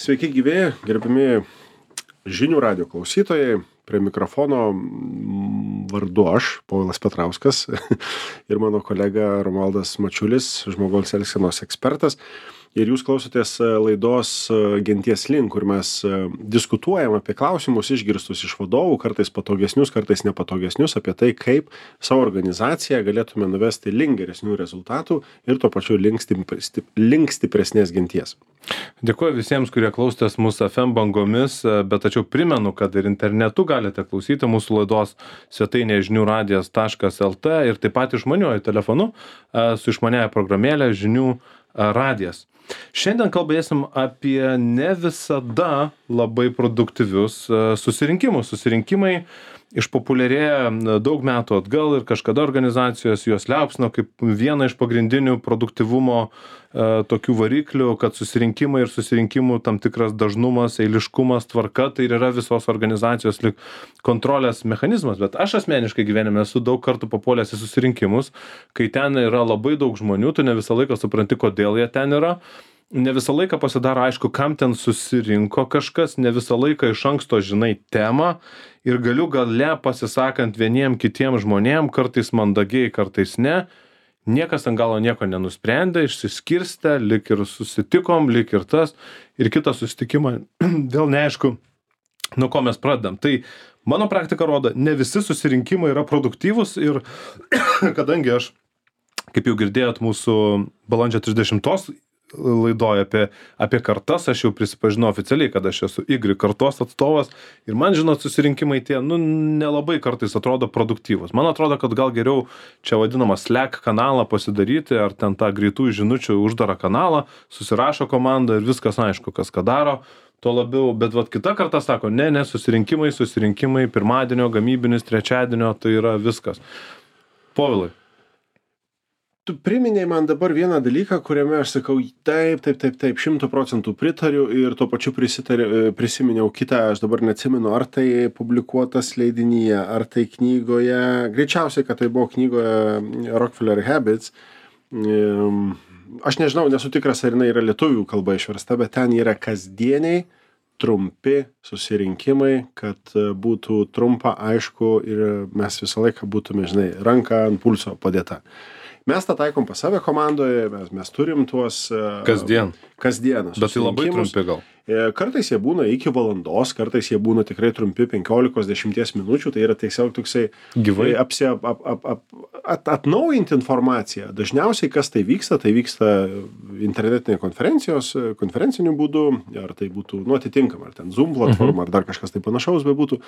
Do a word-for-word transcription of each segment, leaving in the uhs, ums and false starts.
Sveiki gyvi, gerbimi žinių radijo klausytojai. Prie mikrofono vardu aš, Povilas Petrauskas ir mano kolega Romualdas Mačiulis, žmogaus elgsenos ekspertas. Ir jūs klausotės laidos Genties link, kur mes diskutuojam apie klausimus išgirstus iš vadovų, kartais patogesnius, kartais nepatogesnius, apie tai, kaip savo organizaciją galėtume nuvesti link geresnių rezultatų ir tuo pačiu link, stipri, link stipresnės genties. Dėkuoju visiems, kurie klausotės mūsų F M bangomis, bet tačiau primenu, kad ir internetu galite klausyti mūsų laidos svetainėje žinių radijas taškas el t ir taip pat išmaniuoju telefonu su išmaniąja programėlė žinių radijas. Šiandien kalbėsim apie ne visada labai produktyvius susirinkimus. Susirinkimai išpopuliarėja daug metų atgal ir kažkada organizacijos juos liaupsino kaip vieną iš pagrindinių produktyvumo e, tokių variklių, kad susirinkimai ir susirinkimų tam tikras dažnumas, eiliškumas, tvarka, tai yra visos organizacijos lyg kontrolės mechanizmas. Bet aš asmeniškai gyvenime esu daug kartų papuolęs į susirinkimus, kai ten yra labai daug žmonių, tu ne visą laiką supranti, kodėl jie ten yra. Ne visą laiką pasidaro aišku, kam ten susirinko kažkas, ne visą laiką iš anksto žinai temą ir galiu gale pasisakant vieniem kitiem žmonėm, kartais mandagiai, kartais ne, niekas ant galo nieko nenusprendė, išsiskirstė, lik ir susitikom, lik ir tas, ir kitą susitikimą vėl neaišku, nuo ko mes pradedam. Tai mano praktika rodo, ne visi susirinkimai yra produktyvūs ir kadangi aš, kaip jau girdėjot, mūsų balandžio trisdešimtos laidoje apie, apie kartas, aš jau prisipažinau oficialiai, kad aš esu Y kartos atstovas ir man, žinot, susirinkimai tie, nu, nelabai kartais atrodo produktyvus. Man atrodo, kad gal geriau čia vadinamą Slack kanalą pasidaryti ar ten tą greitų žinučių uždarą kanalą, susirašo komanda ir viskas aišku, kas ką daro, tuo labiau, bet vat kita karta sako, ne, ne, susirinkimai, susirinkimai, pirmadienio, gamybinis, trečiadienio, tai yra viskas. Povilai. Tu priminėjai man dabar vieną dalyką, kuriame aš sakau, taip, taip, taip, taip, šimtų procentų pritariu ir tuo pačiu prisiminiau kitą, aš dabar neatsimenu, ar tai publikuotas leidinyje, ar tai knygoje, greičiausiai, kad tai buvo knygoje Rockefeller Habits. Aš nežinau, nesu tikras, ar jinai yra lietuvių kalba išversta, bet ten yra kasdieniai, trumpi susirinkimai, kad būtų trumpa, aišku ir mes visą laiką būtume, žinai, ranką ant pulso padėta. Mes tą taikom pas save komandoje, mes, mes turim tuos... Kasdien. Kasdieną. Bet tai labai trumpi gal. Kartais jie būna iki valandos, kartais jie būna tikrai trumpi penkiolikos dešimties minučių, tai yra tiesiog toksai gyvai apsi, ap, ap, ap, ap, at, atnaujinti informaciją. Dažniausiai kas tai vyksta, tai vyksta internetinė konferencijos, konferenciniu būdu, ar tai būtų, nu, atitinkama, ar ten Zoom platforma, mhm. ar dar kažkas tai panašaus bebūtų,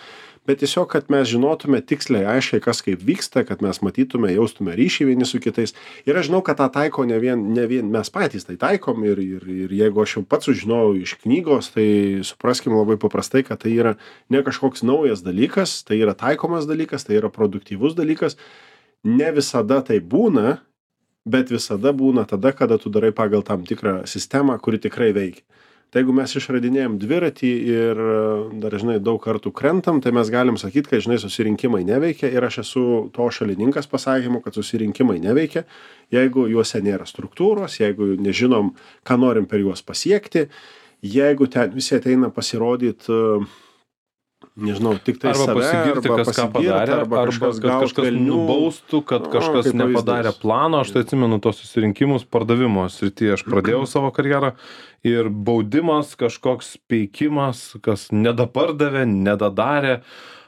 bet tiesiog, kad mes žinotume tiksliai, aiškiai, kas kaip vyksta, kad mes matytume, jaustume ryšį vieni su kitais. Ir aš žinau, kad tą taiko ne vien, ne vien mes patys tai taikom ir, ir, ir jeigu aš jau pats sužinojau iš knygos, tai supraskime labai paprastai, kad tai yra ne kažkoks naujas dalykas, tai yra taikomas dalykas, tai yra produktyvus dalykas. Ne visada tai būna, bet visada būna tada, kada tu darai pagal tam tikrą sistemą, kuri tikrai veikia. Tai jeigu mes išradinėjom dviratį ir dar, žinai, daug kartų krentam, tai mes galim sakyti, kad, žinai, susirinkimai neveikia ir aš esu to šalininkas pasakymu, kad susirinkimai neveikia, jeigu juose nėra struktūros, jeigu nežinom, ką norim per juos pasiekti, jeigu ten visi ateina pasirodyti, nežinau, tik tai arba save, pasigirti, arba kas ką padarė, arba, arba kažkas, kad kažkas nubaustų, kad kažkas kaip nepadarė pavyzdys. plano. Aš tai atsimenu tos susirinkimus pardavimo srityje. Aš pradėjau savo karjerą ir baudimas, kažkoks peikimas, kas nedapardavė, nedadarė.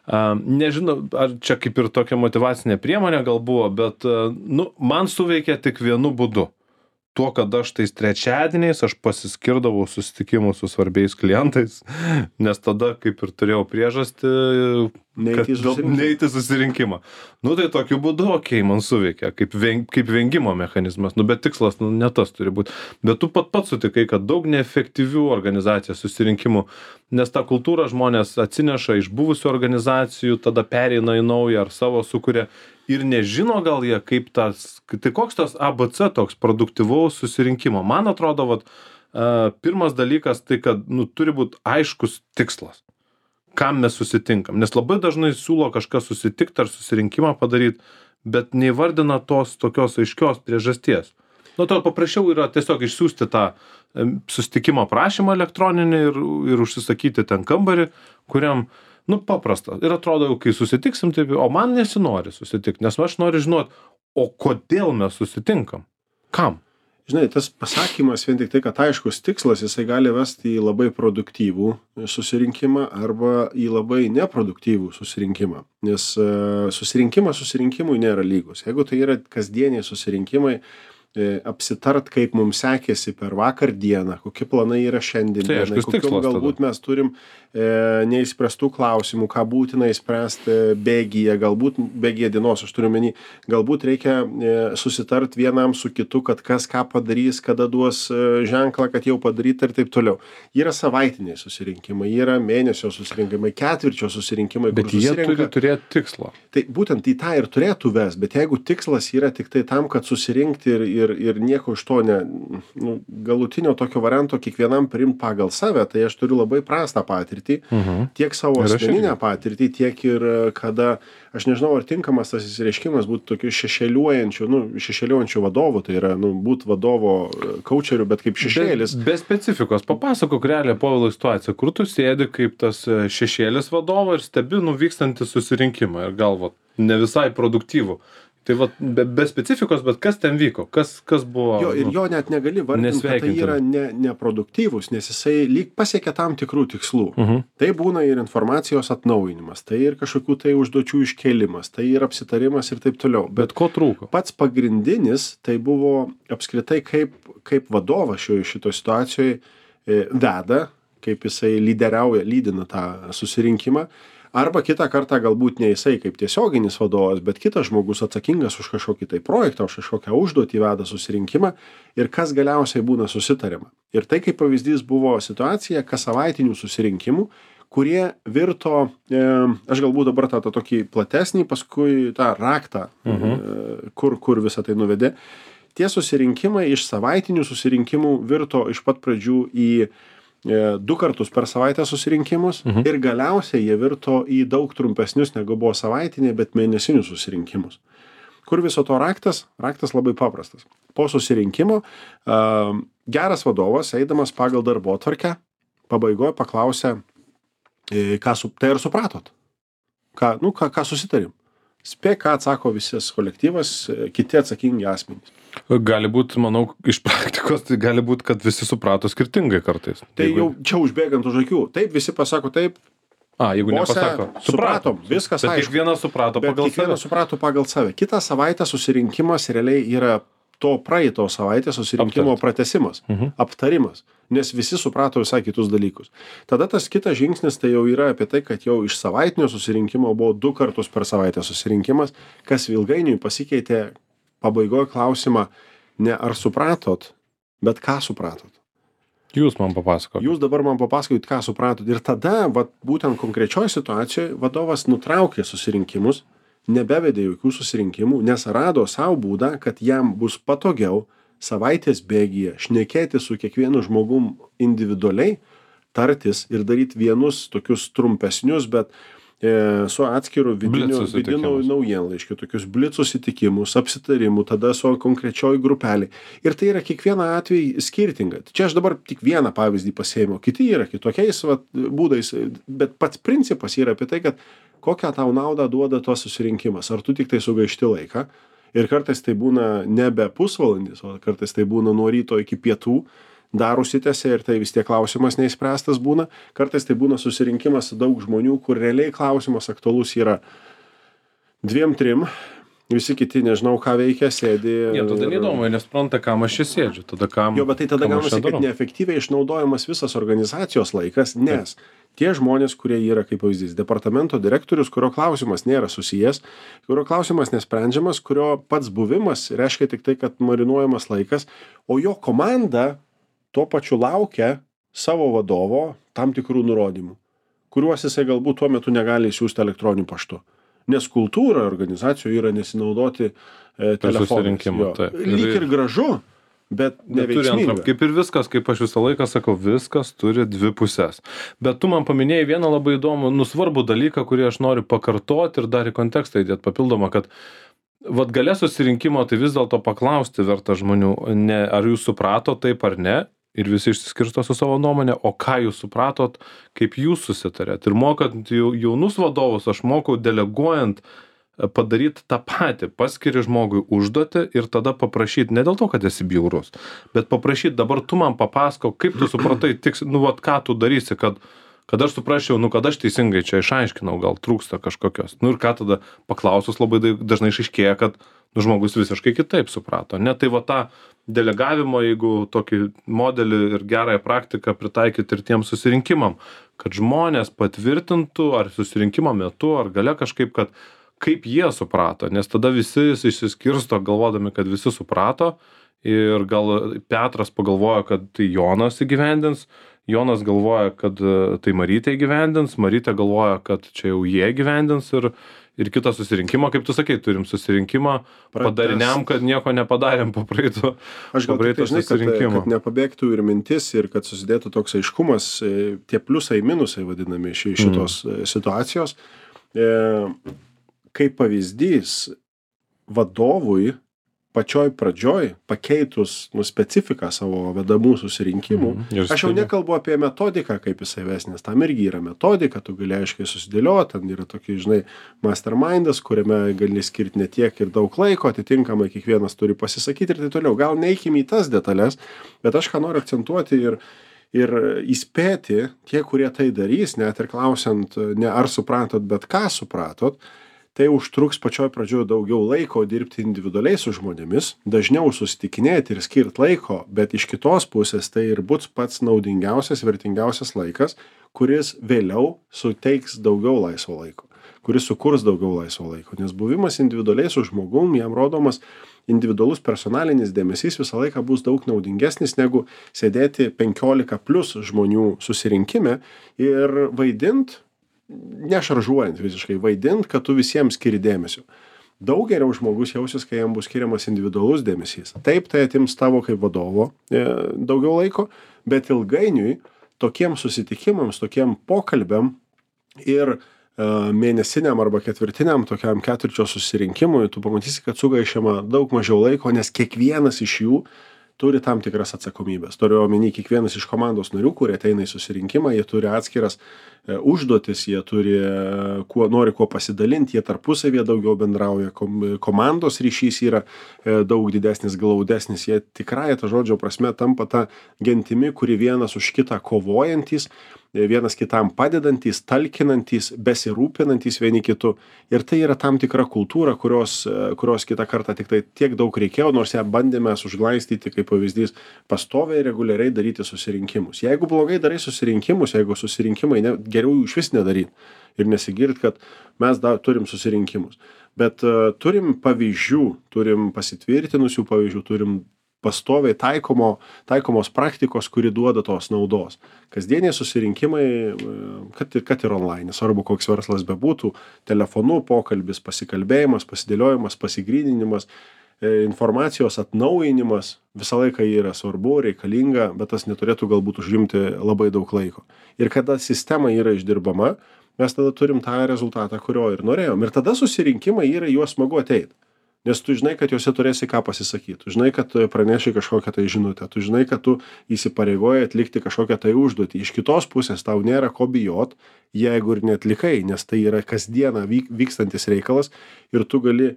Uh, nežinau, ar čia kaip ir tokia motyvacinė priemonė gal buvo, bet uh, nu, man suveikė tik vienu būdu. Tuo, kad aš tais trečiadieniais aš pasiskirdavau susitikimus su svarbiais klientais, nes tada kaip ir turėjau priežastį neiti į susirinkimą. Nu tai tokiu būdu, okei, okay, man suveikia, kaip, veng, kaip vengimo mechanizmas, nu bet tikslas, nu ne tas turi būti. Bet tu pat pat sutikai, kad daug neefektyvių organizacijos susirinkimų, nes tą kultūrą žmonės atsineša iš buvusių organizacijų, tada pereina į naują ar savo sukuria. Ir nežino gal jie, kaip tas, tai koks tas A B C toks produktyvaus susirinkimo. Man atrodo, vat, uh, pirmas dalykas tai, kad nu, turi būti aiškus tikslas, kam mes susitinkam. Nes labai dažnai siūlo kažką susitikti ar susirinkimą padaryti, bet neįvardina tos tokios aiškios priežasties. Nu, to paprasčiau yra tiesiog išsiųsti tą em, susitikimo prašymą elektroninį ir, ir užsisakyti ten kambarį, kuriam, nu, paprasta. Ir atrodo, kai susitiksim, taip, o man nesinori susitikti, nes aš noriu žinoti, o kodėl mes susitinkam? Kam? Žinai, tas pasakymas vien tik tai, kad aiškus tikslas, jisai gali vesti į labai produktyvų susirinkimą arba į labai neproduktyvų susirinkimą. Nes uh, susirinkimas susirinkimui nėra lygus. Jeigu tai yra kasdieniai susirinkimai, e, apsitart, kaip mums sekėsi per vakar dieną, kokie planai yra šiandien Tai dienai, aiškus kokių tikslas galbūt mes turim e, neįspręstų klausimų, ką būtina įspręsti bėgyje, galbūt bėgyje dienos, aš turiu menį, galbūt reikia e, susitart vienam su kitu, kad kas ką padarys, kada duos e, ženklą, kad jau padaryta ir taip toliau. Yra savaitiniai susirinkimai, yra mėnesio susirinkimai, ketvirčio susirinkimai, Bet kur jie susirenka. turi turėti tikslą. Tai būtent į tą ir turėtų ves, bet jeigu tikslas yra tik tai tam, kad susirinkti ir, ir, ir nieko iš to ne, nu, galutinio tokio varianto kiekvienam priimti pagal save, tai aš turiu labai prastą patirtį, Mhm. tiek savo Ir aš asmeninę irgi. patirtį, tiek ir e, kada, aš nežinau, ar tinkamas tas įsireiškimas būtų tokiu šešėliuojančiu, nu, šešėliuojančiu vadovu, tai yra, nu, būt vadovo e, coacheriu, bet kaip šešėlis. Be, be specifikos, papasakok realią Povilo situaciją, kur tu sėdi kaip tas e, šešėlis vadovo ir stebi nuvykstantį susirinkimą ir galvo, ne visai produktyvų. Tai va, be, be specifikos, bet kas ten vyko, kas, kas buvo. Jo, ir nu, jo net negali vardinti, kad tai nesveikintina. yra ne, neproduktyvus, nes jisai lyg pasiekia tam tikrų tikslų. Mhm. Tai būna ir informacijos atnaujinimas, tai ir kažkokių tai užduočių iškėlimas, tai ir apsitarimas ir taip toliau. Bet ko trūko? Pats pagrindinis tai buvo apskritai kaip, kaip vadovas šioje šito situacijoje e, veda, kaip jisai lyderiauja, lydina tą susirinkimą. Arba kitą kartą galbūt ne jisai kaip tiesioginis vadovas, bet kitas žmogus atsakingas už kažkokį tai projektą, už kažkokią užduotį veda susirinkimą ir kas galiausiai būna susitariama. Ir tai kaip pavyzdys buvo situacija kas savaitinių susirinkimų, kurie virto, e, aš galbūt dabar tą, tą tokį platesnį, paskui tą raktą, Mhm. e, kur, kur visą tai nuvedė. Tie susirinkimai iš savaitinių susirinkimų virto iš pat pradžių į e, du kartus per savaitę susirinkimus Mhm. ir galiausiai jie virto į daug trumpesnius negu buvo savaitiniai, bet mėnesinius susirinkimus. Kur viso to raktas? Raktas labai paprastas. Po susirinkimo uh, geras vadovas, eidamas pagal darbotvarkę, pabaigoje paklausė, e, ką su, tai ar supratot? Ką, nu, ką, ką susitarim? Spėk, ką atsako visas kolektyvas, e, kiti atsakingi asmenys. Gali būti, manau, iš praktikos, tai gali būti, kad visi suprato skirtingai kartais. Tai Jeigu- jau čia užbėgant už akių. Taip, visi pasako taip, A, jeigu bose, nepasako. supratom, viskas Bet aišku. kiekvienas suprato Bet pagal kiekvienas save. suprato pagal save. Kitą savaitę susirinkimas realiai yra to praeito savaitės susirinkimo Aptart. pratęsimas, Mhm. aptarimas, nes visi suprato visai kitus dalykus. Tada tas kitas žingsnis tai jau yra apie tai, kad jau iš savaitinio susirinkimo buvo du kartus per savaitę susirinkimas, kas ilgainiui pasikeitė pabaigoje klausimą ne ar supratot, bet ką supratot. Jūs man papasakot. Jūs dabar man papasakojot, ką supratot. Ir tada, vat, būtent konkrečioje situacijoje, vadovas nutraukė susirinkimus, nebevedė jokių susirinkimų, nes rado savo būdą, kad jam bus patogiau savaitės bėgyje šnekėti su kiekvienu žmogum individualiai, tartis ir daryti vienus tokius trumpesnius, bet e, su atskiru vidiniu, Blic vidiniu susitikimus. naujienlaiškiu, tokius blic susitikimus, apsitarimų, tada su konkrečioj grupelį. Ir tai yra kiekvieną atvejį skirtinga. Čia aš dabar tik vieną pavyzdį pasėmiau, kiti yra kitokiais vat, būdais, bet pats principas yra apie tai, kad kokią tau naudą duoda tuos susirinkimas. Ar tu tik tai sugaišti laiką ir kartais tai būna nebe pusvalandis, o kartais tai būna nuo ryto iki pietų, dar užsitęsia ir tai vis tiek klausimas neįspręstas būna. Kartais tai būna susirinkimas daug žmonių, kur realiai klausimas aktualus yra dviem, trim, visi kiti nežinau, ką veikia, sėdi. Jie tada ir- neįdomu, nes supranta, kam aš čia sėdžiu. Tada kam. Jo, bet tai tada kam aš čia gaunasi, kad darau. neefektyviai išnaudojamas visas organizacijos laikas, nes tie žmonės, kurie yra, kaip pavyzdys, departamento direktorius, kurio klausimas nėra susijęs, kurio klausimas nesprendžiamas, kurio pats buvimas reiškia tik tai, kad marinuojamas laikas, o jo komanda tuo pačiu laukia savo vadovo tam tikrų nurodymų, kuriuos jisai galbūt tuo metu negali siūsti elektroniniu paštu. Nes kultūra organizacijoje yra nesinaudoti e, telefonais. susirinkimą, Jo. taip. Ir- Lyg ir gražu, bet Bet turi antrą, neveiksminga. kaip ir viskas, kaip aš visą laiką sakau, viskas turi dvi pusės. Bet tu man paminėjai vieną labai įdomų, nusvarbų dalyką, kurį aš noriu pakartoti ir dar į kontekstą įdėti papildomą, kad vat gale susirinkimo tai vis dėlto paklausti verta žmonių, ne, ar jūs suprato taip ar ne, ir visi išsiskirsto su savo nuomonė, o ką jūs supratot, kaip jūs susitarėt. Ir mokant jaunus vadovus, aš mokau deleguojant padaryti tą patį, paskiri žmogui užduotį ir tada paprašyti, ne dėl to, kad esi bjaurus, bet paprašyti, dabar tu man papasako, kaip tu supratai, tiks, nu, vat, ką tu darysi, kad, kad aš suprasčiau, nu, kad aš teisingai čia išaiškinau, gal trūksta kažkokios. Nu, ir ką tada paklausus labai dažnai išaiškėja, kad nu, žmogus visiškai kitaip suprato. Ne, tai va tą delegavimo, jeigu tokį modelį ir gerąją praktiką pritaikyti ir tiem susirinkimam, kad žmonės patvirtintų ar susirinkimo metu, ar gale kažkaip, kad kaip jie suprato, nes tada visi išsiskirsto galvodami, kad visi suprato ir gal Petras pagalvoja, kad tai Jonas įgyvendins, Jonas galvoja, kad tai Marytė įgyvendins, Marytė galvoja, kad čia jau jie įgyvendins ir, ir kitą susirinkimą, kaip tu sakai, turim susirinkimą padariniam, kad nieko nepadarėm po praeito, aš gal po praeito tai, žinai, susirinkimo. kad, kad nepabėgtų ir mintis ir kad susidėtų toks aiškumas, tie pliusai, minusai vadinami ši, šitos mm. situacijos. E, kaip pavyzdys vadovui pačioj pradžioj pakeitus nu, specifiką savo vedamų susirinkimų, mm, aš jau nekalbu apie metodiką, kaip jisai ves, nes tam irgi yra metodika, tu gali aiškiai susidėlioti, ten yra tokie, žinai, mastermindas, kuriame gali skirti ne tiek ir daug laiko, atitinkamai kiekvienas turi pasisakyti ir tai toliau. Gal neikime į tas detalės, bet aš ką noriu akcentuoti ir ir įspėti tie, kurie tai darys, net ir klausiant, ne ar supratot, bet ką supratot, tai užtruks pačioj pradžioj daugiau laiko dirbti individualiai su žmonėmis, dažniau susitikinėti ir skirt laiko, bet iš kitos pusės tai ir bus pats naudingiausias, vertingiausias laikas, kuris vėliau suteiks daugiau laisvo laiko, kuris sukurs daugiau laisvo laiko, nes buvimas individualiai su žmogum, jam rodomas individualus personalinis dėmesys visą laiką bus daug naudingesnis negu sėdėti penkiolika plus žmonių susirinkime ir vaidint, nešaržuojant visiškai, vaidint, kad tu visiems skiri dėmesio. Daug geriau žmogus jausis, kai jam bus skiriamas individualus dėmesys. Taip, tai atims tavo kaip vadovo e, daugiau laiko, bet ilgainiui tokiem susitikimams, tokiem pokalbiam ir e, mėnesiniam arba ketvirtiniam tokiam ketvirčio susirinkimui, tu pamatysi, kad sugaišiama daug mažiau laiko, nes kiekvienas iš jų turi tam tikras atsakomybės. Turiu omeny kiekvienas iš komandos narių, kurie ateina į susirinkimą, jie turi atskiras e, užduotis, jie turi, e, kuo, nori kuo pasidalinti, jie tarpusavėje daugiau bendrauja, kom, komandos ryšys yra e, daug didesnis, glaudesnis, jie tikrai ta žodžio prasme tampa ta gentimi, kuri vienas už kitą kovojantis, vienas kitam padedantys, talkinantys, besirūpinantys vieni kitų. Ir tai yra tam tikra kultūra, kurios, kurios kitą kartą tik tai tiek daug reikėjo, nors ją bandėme užglaistyti, kaip pavyzdys, pastoviai reguliariai daryti susirinkimus. Jeigu blogai darai susirinkimus, jeigu susirinkimai, ne, geriau jų iš vis nedaryti ir nesigirt, kad mes da, turim susirinkimus. Bet uh, turim pavyzdžių, turim pasitvirtinusių pavyzdžių, turim pastoviai taikomo, taikomos praktikos, kuri duoda tos naudos. Kasdieniai susirinkimai, kad, kad ir online, svarbu koks verslas bebūtų, telefonu, pokalbis, pasikalbėjimas, pasidėliojimas, pasigryninimas, informacijos atnaujinimas, visą laiką yra svarbu, reikalinga, bet tas neturėtų galbūt užimti labai daug laiko. Ir kada sistema yra išdirbama, mes tada turim tą rezultatą, kurio ir norėjom. Ir tada susirinkimai yra juos smagu ateiti. Nes tu žinai, kad juose turėsi ką pasisakyti, tu žinai, kad tu praneši kažkokią tai žinutę, tu žinai, kad tu įsipareigoji atlikti kažkokią tai užduotį. Iš kitos pusės tau nėra ko bijot, jeigu ir neatlikai, nes tai yra kasdieną vyk, vykstantis reikalas ir tu gali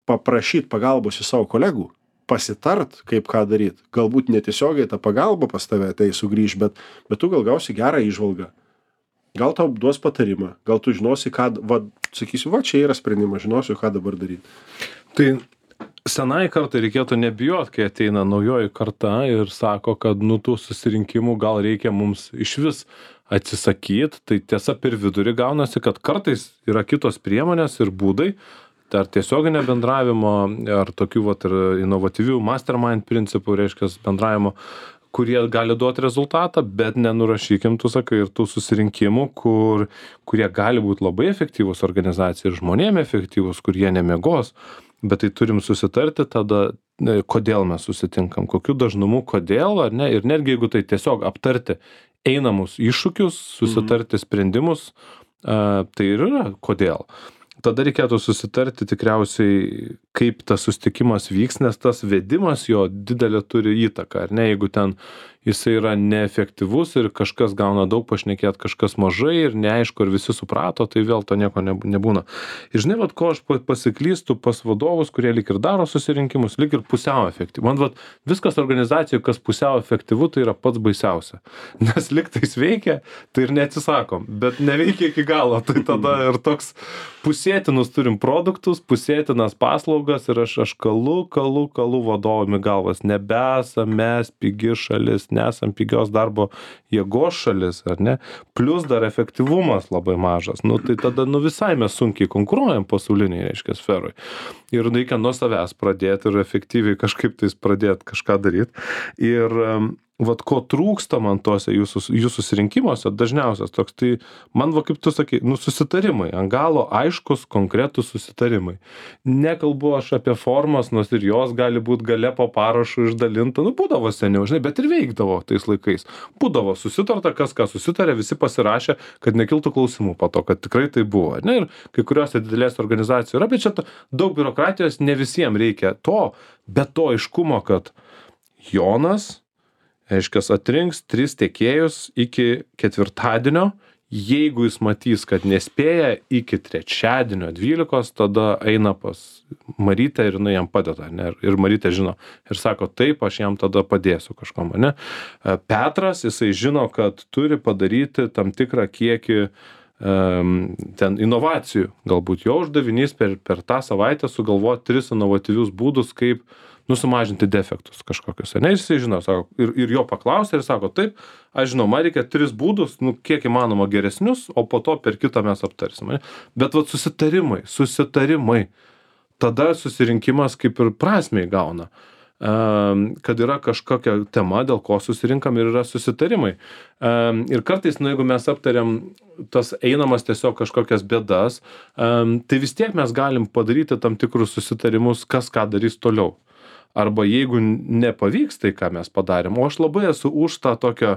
paprašyti pagalbos į savo kolegų, pasitart, kaip ką daryti. Galbūt netiesiogiai ta pagalba pas tave tai sugrįž, bet, bet tu gal gausi gerą įžvalgą. Gal tau duos patarimą, gal tu žinosi, ką, va, sakysiu, va, čia yra sprendimas, žinosiu, ką dabar daryti. Tai senai kartai reikėtų nebijot, kai ateina naujoji karta ir sako, kad nu tų susirinkimų gal reikia mums iš vis atsisakyti. Tai tiesa per vidurį gaunasi, kad kartais yra kitos priemonės ir būdai, ar tiesioginio bendravimo, ar tokių vat, ir inovatyvių mastermind principų, reiškia bendravimo, kurie gali duoti rezultatą, bet nenurašykim, tu sakai, ir tų susirinkimų, kur, kurie gali būti labai efektyvus organizacijai ir žmonėm efektyvus, kur jie nemiegos, bet tai turim susitarti tada, kodėl mes susitinkam, kokiu dažnumu, kodėl, ar ne, ir netgi jeigu tai tiesiog aptarti einamus iššūkius, susitarti sprendimus, tai ir yra kodėl. tada reikėtų susitarti tikriausiai, kaip tas susitikimas vyks, nes tas vedimas jo didelė turi įtaką, ar ne, jeigu ten jisai yra neefektyvus ir kažkas gauna daug pašnekėt, kažkas mažai ir neaišku, ar visi suprato, tai vėl to nieko nebūna. Ir žinai, vat, ko aš pasiklystu pas vadovus, kurie lyg ir daro susirinkimus, lyg ir pusiau efektyvu. Man vat, viskas organizacijoje, kas pusiau efektyvu, tai yra pats baisiausia. Nes lyg tais veikia, tai ir neatsisakom, bet neveikia iki galo. Tai tada ir toks pusėtinus turim produktus, pusėtinas paslaugas ir aš, aš kalu, kalu, kalu vadovami galvas. Nebesam mes pigi šalis, nesam pigios darbo jėgos šalis, ar ne? Plius dar efektyvumas labai mažas. Nu, tai tada nu, visai mes sunkiai konkuruojam pasauliniai, reiškia, sferoj. Ir reikia nuo savęs pradėti ir efektyviai kažkaip tais pradėti kažką daryti. Ir um, vat ko trūksta man tose jūsų, jūsų susirinkimuose, dažniausias toks, tai man, va, kaip tu sakai, nu, susitarimai, ant galo aiškus, konkretus susitarimai. Nekalbu aš apie formas, nors ir jos gali būti gale po parašu išdalinta, nu, būdavo seniau, žinai, bet ir veikdavo tais laikais. Būdavo susitarta, kas ką susitarė, visi pasirašė, kad nekiltų klausimų po to, kad tikrai tai buvo. Ne? Ir kai kuriuose didelės organizacijų yra, bet čia daug biurokratijos, ne visiems reikia to, bet to aiškumo, kad Jonas reiškia, atrinks tris tiekėjus iki ketvirtadienio, jeigu jis matys, kad nespėja iki trečiadienio dvylikos, tada eina pas Marytę ir jinai jam padeda, ne? Ir Marytė žino ir sako, taip, aš jam tada padėsiu kažkam, ne? Petras, jisai žino, kad turi padaryti tam tikrą kiekį um, ten inovacijų, galbūt jo uždavinys per, per tą savaitę sugalvoti tris inovatyvius būdus, kaip nusumažinti defektus kažkokius, ne, jisai žino, sako, ir, ir jo paklausė ir sako, taip, aš žinau, man reikia tris būdus, nu, kiek įmanoma geresnius, o po to per kitą mes aptarsime. Bet vat susitarimai, susitarimai, tada susirinkimas kaip ir prasmei gauna, um, kad yra kažkokia tema, dėl ko susirinkam ir yra susitarimai. Um, ir kartais, nu, jeigu mes aptariam tas einamas tiesiog kažkokias bėdas, um, tai vis tiek mes galim padaryti tam tikrus susitarimus, kas ką darys toliau. Arba jeigu nepavyks tai, ką mes padarėm, o aš labai esu už tą tokią,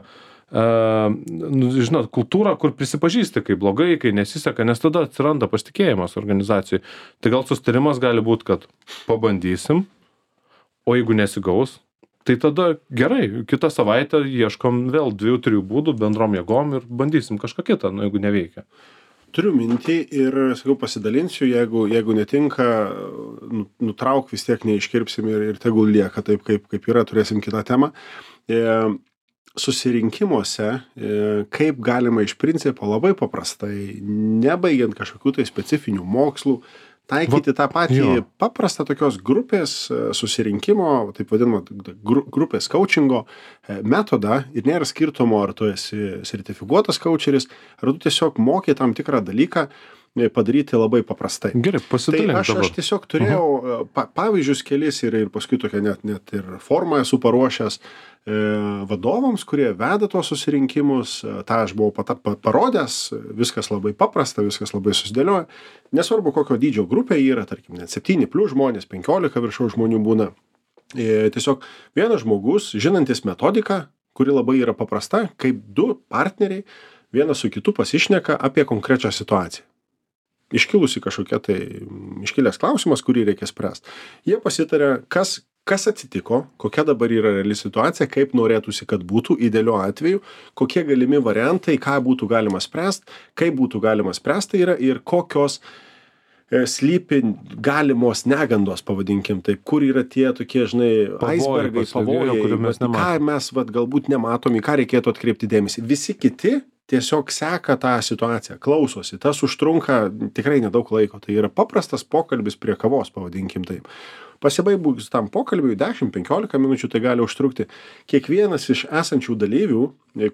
uh, nu, žinot, kultūrą, kur prisipažįsti, kai blogai, kai nesiseka, nes tada atsiranda pasitikėjimas organizacijai. Tai gal sustarimas gali būti, kad pabandysim, o jeigu nesigaus, tai tada gerai, kitą savaitę ieškom vėl dviejų, trijų būdų bendrom jėgom ir bandysim kažką kitą, nu, jeigu neveikia. Turiu mintį ir, sakau, pasidalinsiu, jeigu, jeigu netinka, nutrauk vis tiek neiškirpsim ir, ir tegul lieka taip, kaip, kaip yra, turėsim kitą temą. E, susirinkimuose, e, kaip galima iš principo labai paprastai, nebaigiant kažkokių tai specifinių mokslų, taikyti tą patį jo. Paprastą tokios grupės susirinkimo, taip vadinamo, grupės coachingo metodą ir nėra skirtumo, ar tu esi sertifikuotas coacheris, ar tu tiesiog moki tam tikrą dalyką padaryti labai paprastai. Gerai, pasidalink tai aš, dabar. Aš tiesiog turėjau uh-huh. pa, pavyzdžius kelis ir, ir paskui tokia net, net ir formą esu paruošęs e, vadovams, kurie veda tuos susirinkimus. Ta aš buvau pata, pa, parodęs, viskas labai paprasta, viskas labai susidėlioja. Nesvarbu, kokio dydžio grupė yra, tarkim, net septyni plius žmonės, penkiolika viršaus žmonių būna. E, tiesiog vienas žmogus, žinantis metodiką, kuri labai yra paprasta, kaip du partneriai vienas su kitu pasišneka apie konkrečią situaciją. Iškilusi kažkokia tai iškilęs klausimas, kurį reikia spręsti. Jie pasitarė, kas, kas atsitiko, kokia dabar yra reali situacija, kaip norėtųsi, kad būtų idealiu atveju, kokie galimi variantai, ką būtų galima spręsti, kaip būtų galima spręsti yra ir kokios e, slypi galimos negandos, pavadinkim taip, kur yra tie tokie, žinai, aisbergai, pavojai, mes ką mes vat, galbūt nematom, į ką reikėtų atkreipti dėmesį. Visi kiti tiesiog seka tą situaciją, klausosi, tas užtrunka tikrai nedaug laiko, tai yra paprastas pokalbis prie kavos, pavadinkim taip. Pasibaigus tam pokalbiui dešimt penkiolika minučių tai gali užtrukti. Kiekvienas iš esančių dalyvių,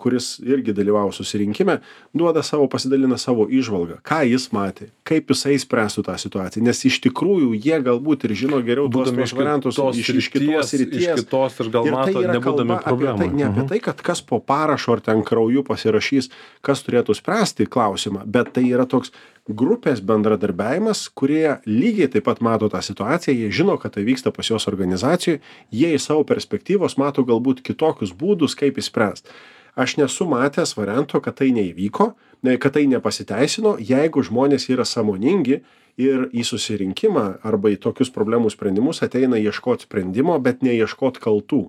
kuris irgi dalyvavo susirinkime, duoda savo, pasidalina savo įžvalgą, ką jis matė, kaip jisai spręstų tą situaciją, nes iš tikrųjų jie galbūt ir žino geriau tuos variantus iš, iš kitos ryties. Iš kitos ir gal ir mato, tai nebūdami problemų. Tai, ne apie tai, kad kas po parašo ar ten krauju pasirašys, kas turėtų spręsti klausimą, bet tai yra toks grupės bendradarbiavimas, kurie lygiai taip pat mato tą situaciją, jie žino, kad tai vyksta pas jos organizacijoje, jie iš savo perspektyvos mato galbūt kitokius būdus, kaip įspręsti. aš nesu matęs varianto, kad tai neįvyko, kad tai nepasiteisino, jeigu žmonės yra sąmoningi ir į susirinkimą arba į tokius problemų sprendimus ateina ieškot sprendimo, bet neieškot kaltų.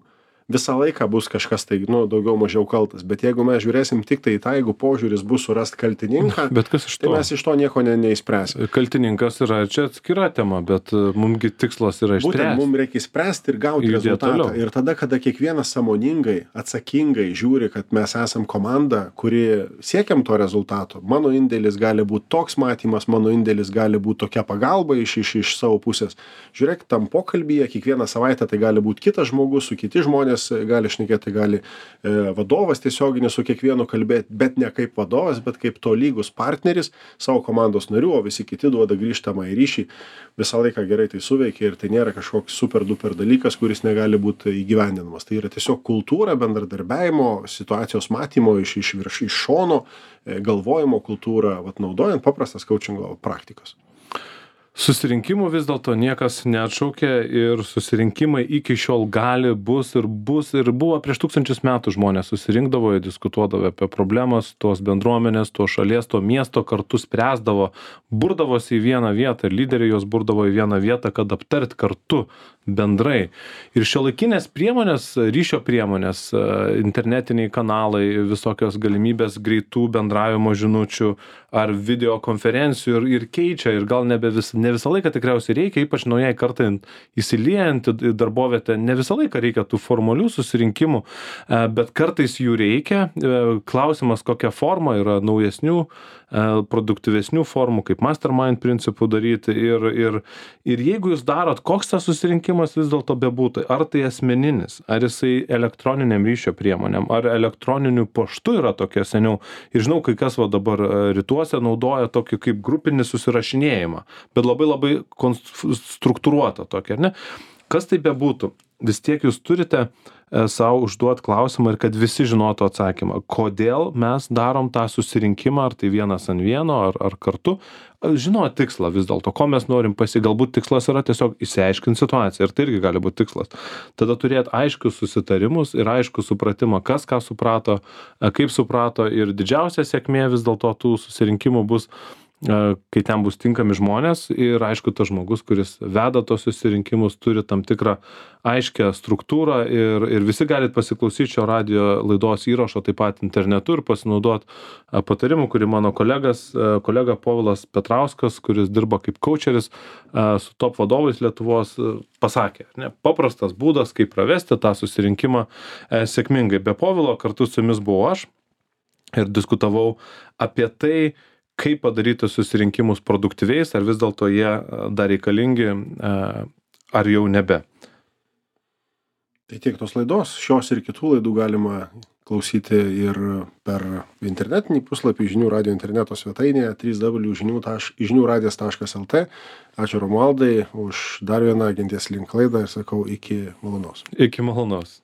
Visą laiką bus kažkas tai, nu, daugiau mažiau kaltas, bet jeigu mes žiūrėsim tik tai tą, jeigu požiūris bus surast kaltininką, Bet kas iš to? tai mes iš to nieko ne, neįspręsim. Kaltininkas yra čia atskira tema, bet mumgi tikslas yra Būtent išspręsti. mums reikia spręsti ir gauti Judėt rezultatą. toliau. Ir tada, kada kiekvienas sąmoningai, atsakingai žiūri, kad mes esam komanda, kuri siekiam to rezultato, mano indėlis gali būti toks matymas, mano indėlis gali būti tokia pagalba iš, iš, iš savo pusės. Žiūrėk, tam pokalbyje kiekvieną savaitę tai gali būti kitas žmogus, su kiti žmonės gali šnekėti, gali e, vadovas tiesioginis su kiekvienu kalbėti, bet ne kaip vadovas, bet kaip tolygus partneris savo komandos narių, o visi kiti duoda grįžtamą į ryšį. Visą laiką gerai tai suveikia ir tai nėra kažkoks super duper dalykas, kuris negali būti įgyvendinamas. Tai yra tiesiog kultūra, bendradarbiavimo, situacijos matymo iš, iš, virš, iš šono, e, galvojimo kultūra, vat, naudojant paprastas coachingo praktikas. Susirinkimų vis dėlto niekas neatšaukė ir susirinkimai iki šiol gali, bus ir bus ir buvo prieš tūkstančius metų žmonės susirinkdavo, jie diskutuodavo apie problemas, tos bendruomenės, tos šalies, to miesto kartu spręsdavo, burdavosi į vieną vietą ir lyderiai jos burdavo į vieną vietą, kad aptart kartu bendrai. Ir šiuolaikinės priemonės, ryšio priemonės, internetiniai kanalai, visokios galimybės greitų bendravimo žinučių ar video konferencijų ir, ir keičia ir gal nebe vis, ne visą laiką tikriausiai reikia, ypač naujai kartai įsiliejant į darbovietę, ne visą laiką reikia tų formalių susirinkimų, bet kartais jų reikia. Klausimas, kokia forma yra naujesnių, produktyvesnių formų, kaip mastermind principų daryti ir, ir, ir jeigu jūs darot, koks tas susirinkimas vis dėlto bebūtų, ar tai asmeninis, ar jisai elektroniniam ryšio priemonėm, ar elektroniniu paštu yra tokia seniau. Ir žinau, kai kas va dabar rytuose naudoja tokį kaip grupinį susirašinėjimą, bet labai labai struktūruotą tokį, ar ne? Kas tai bebūtų, vis tiek jūs turite savo užduot klausimą ir kad visi žinotų atsakymą. Kodėl mes darom tą susirinkimą, ar tai vienas ant vieno, ar, ar kartu. Žinot tikslą vis dėlto, ko mes norim pasi, galbūt tikslas yra tiesiog išsiaiškinti situaciją ir tai irgi gali būti tikslas. Tada turėti aiškius susitarimus ir aiškų supratimą, kas ką suprato, kaip suprato ir didžiausia sėkmė vis dėlto tų susirinkimų bus, kai ten bus tinkami žmonės ir aišku, tas žmogus, kuris veda tos susirinkimus, turi tam tikrą aiškę struktūrą ir, ir visi galit pasiklausyti šio radijo laidos įrašo taip pat internetu ir pasinaudoti patarimu, kurį mano kolegas, kolega Povilas Petrauskas, kuris dirba kaip coacheris su top vadovais Lietuvos, pasakė. Ne? Paprastas būdas, kaip pravesti tą susirinkimą sėkmingai. Be Povilo kartu su jumis buvau aš ir diskutavau apie tai, kaip padaryti susirinkimus produktyviais, ar vis dėlto jie dar reikalingi, ar jau nebe. Tai tiek tos laidos, šios ir kitų laidų galima klausyti ir per internetinį puslapį Žinių radijo interneto svetainėje w w w taškas žinių radijas taškas l t. Ačiū Romualdai už dar vieną Genties link laidą ir sakau iki malonaus. Iki malonaus.